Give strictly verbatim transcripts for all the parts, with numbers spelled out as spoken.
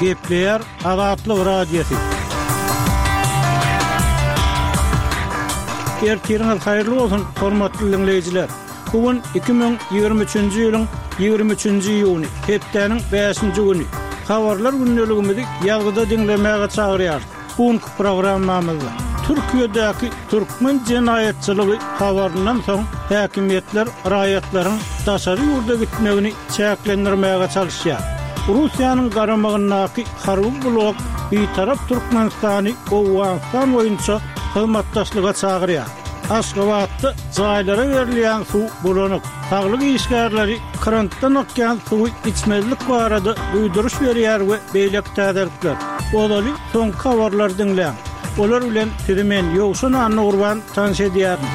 Gepleýär Azatlyk Radiosy. Ertiriňiz haýyrly bolsun, hormatly diňleýjiler! Bu gün iki müň ýigrimi üçünji ýylyň ýigrimi üçünji iýuny, hepdäniň bäşinji güni. Habarlar gündeligimizi ýazgyda diňlemäge çagyrýarys. Bu günki programmamyzda Türkiýedäki türkmen jenaýatçylygy habaryndan soň häkimiýetler raýatlaryň daşary ýurda gitmegini çäklendirmäge çalyşýar. Russiýanyň garamagyndaky harby blok Bitarap Türkmenistany Owganystan boýunça hyzmatdaşlyga çagyrýar. Aşgabatda jaýlara berilýän suw bulanyk. Saglyk işgärleri krantdan akýan suwy içmezlik barada duýduryş berýär we beýleki täzelikler. Ozaly soňky habarlary diňläň. Olar bilen sizi men Ýowşan Annagurban tanyş edýärin.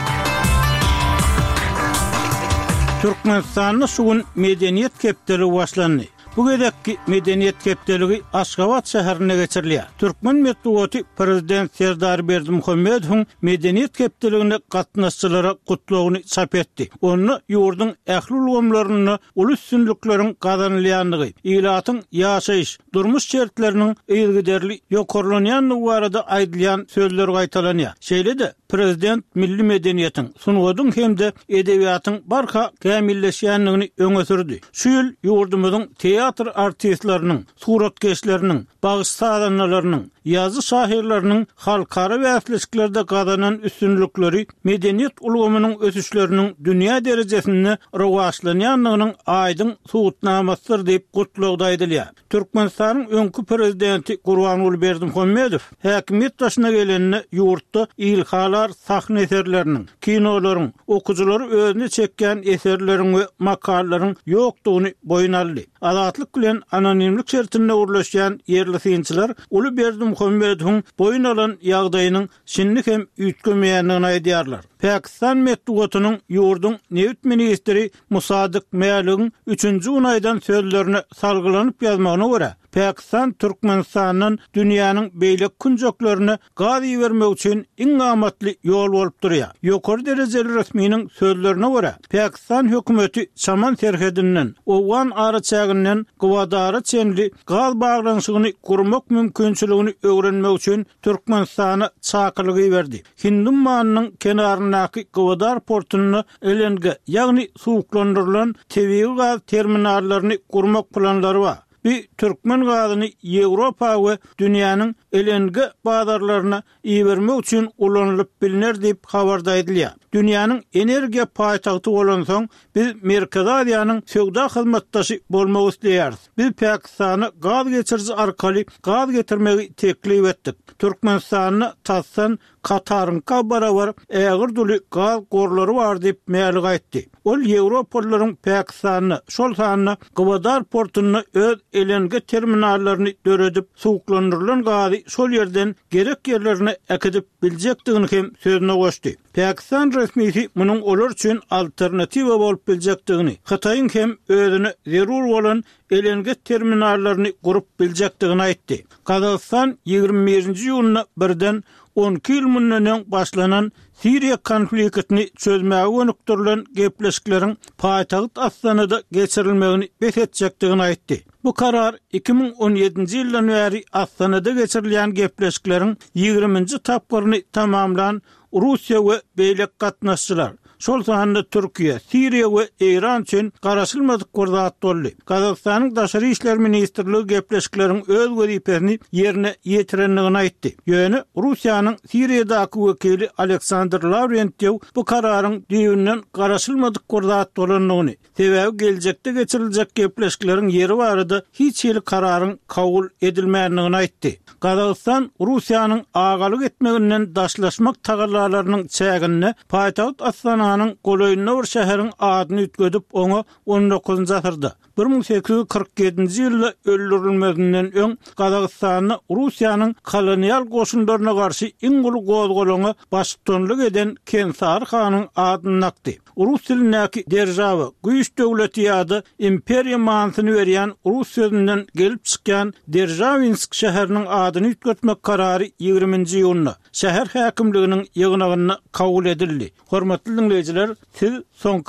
Türkmenistanda şu gün Medeniýet hepdeligi başlandy. Bu gezekki Medeniýet hepdeligi Aşgabat şäherinde geçirilýär. Türkmen metbugaty Prezident Serdar Berdimuhamedowyň Medeniýet hepdeligine gatnaşyjylara gutlagyny çap etdi. Onda ýurduň ähli ulgamlarynda uly üstünlikleriň gazanylýandygy, ilatyň ýaşaýyş, durmuş şertleriniň yzygiderli ýokarlanýandygy barada aýdylýan sözler gaýtalanýar. Şeýle-de, prezident milli medeniýetiň, sungatyň hem-de edebiýatyň barha kämilleşýändigini öňe sürdi. Şu ýyl ýurdumyzyň teatr artistleriniň, suratkeşleriniň, bagşy-sazandalarynyň, ýazyjy-şahyrlarynyň halkara bäsleşiklerde gazanan üstünlikleri medeniýet ulgamynyň ösüşleriniň dünýä derejesinde rowaçlanýandygynyň aýdyň subutnamasydyr diýip, gutlagda aýdylýar. Türkmenistanyň öňki prezidenti Gurbanguly Berdimuhamedow häkimiýet başyna gelende ýurtda ilhalar sahna eserleriniň, kinolaryň, okyjylary özüne çekýän eserleriň we makalalaryň ýokdugyny boýun aldy. Azatlyk bilen anonimlik şertinde gürleşýän ýerli synçylar uly Berdimuhamedowyň boýun alan ýagdaýynyň şindi hem üýtgemeýändigini aýdýarlar. Pakistan metbugatynyň ýurduň nebit ministri Musadyk Mäligiň üçünji gün aýdan sözlerine salgylanyp ýazmagyna görä, Pakistan Türkmenistandan dünýäniň beýleki künjeklerine gaz ibermek üçin iň amatly ýol bolup durýar. Ýokary derejeli resminiň sözlerine görä, Pakistan hökümeti Çaman serhedinden, owgan araçäginden Gwadara çenli gaz baglanyşygyny gurmak mümkinçiligini öwrenmek üçin Türkmenistana çakylyk iberdi. Hindi ummanynyň kenaryndaky Gwadar portunda L N G, ýagny suwuklandyrylan tebigy gaz terminallaryny gurmak planlary bar. Bu türkmen gazyny Ýewropa we dünýäniň L N G bazarlaryna ibermek üçin ulanylyp bilner diýip habarda aýdylýar. Dünýäniň energiýa paýtagty bolansoň, biz Merkezi Aziýanyň söwda hyzmatdaşy bolmak isleýäris. Biz Pakistana gaz geçiriji arkaly gaz getirmegi teklip etdik. Türkmenistanda tasdan Kataryňka barabar ägir duly gaz gorlary bar diýip Mälik aýtdy. Ol Ýewropalylaryň Pakistanda, şol sanda Gwadar portunda öz L N G terminallaryny döredip, suwuklandyrylan gazy şol ýerden gerek ýerlerine äkidip biljekdigini hem sözüne goşdy. Pakistan resmisi munuň olar üçin alternatiwa bolup biljekdigini, Hytaýyň hem özüne zerur bolan L N G terminallaryny gurup biljekdigini aýtdy. Gazagystan ýigrimi birinji iýunda birden on iki ýyl mundan öň başlanan Siriýa konfliktini çözmäge gönükdirilen gepleşikleriň paýtagt Astanada geçirilmegini bes etjekdigini aýtdy. Bu karar iki müň on ýedinji ýyldan bäri Astanada geçirilýän gepleşikleriň ýigriminji tapgyryny tamamlan Russiýa we beýleki gatnaşyjylar, şol sanda Türkiýe, Siriýa we Eýran üçin garaşylmadyk bir zat boldy. Gazagystanyň Daşary işler ministrligi gepleşikleriň öz wezipesini ýerine ýetirendigini aýtdy. Ýöne Russiýanyň Siriýadaky wekili Aleksandr Lavrentýew bu kararyň düýbünden garaşylmadyk bir zat bolandygyny, sebäbi geljekde geçiriljek gepleşikleriň ýeri barada hiç hili kararyň kabul edilmändigini aýtdy. Gazagystan Russiýanyň agalyk etmeginden daşlaşmak tagallalarynyň çäginde paýtagt Astananyň golaýynda bir şäheriň adyny üýtgedip, oňa on dokuzynjy asyrda bir müň sekiz ýüz kyrk ýedinji ýylda öldürilmezinden öň Gazagystanda Russiýanyň kolonial goşunlaryna garşy iň uly gozgalaňa baştutanlyk eden Kensary hanyň adyny dakdy. Rus dilindäki deržawa, güýç döwleti ýa-da imperiýa manysyny berýän rus sözünden gelip çykýan Deržawinsk şäheriniň adyny üýtgetmek karary ýigriminji iýunda şäher häkimliginiň ýygnagynda kabul edildi. Hormatly diňleýjiler, siz soňky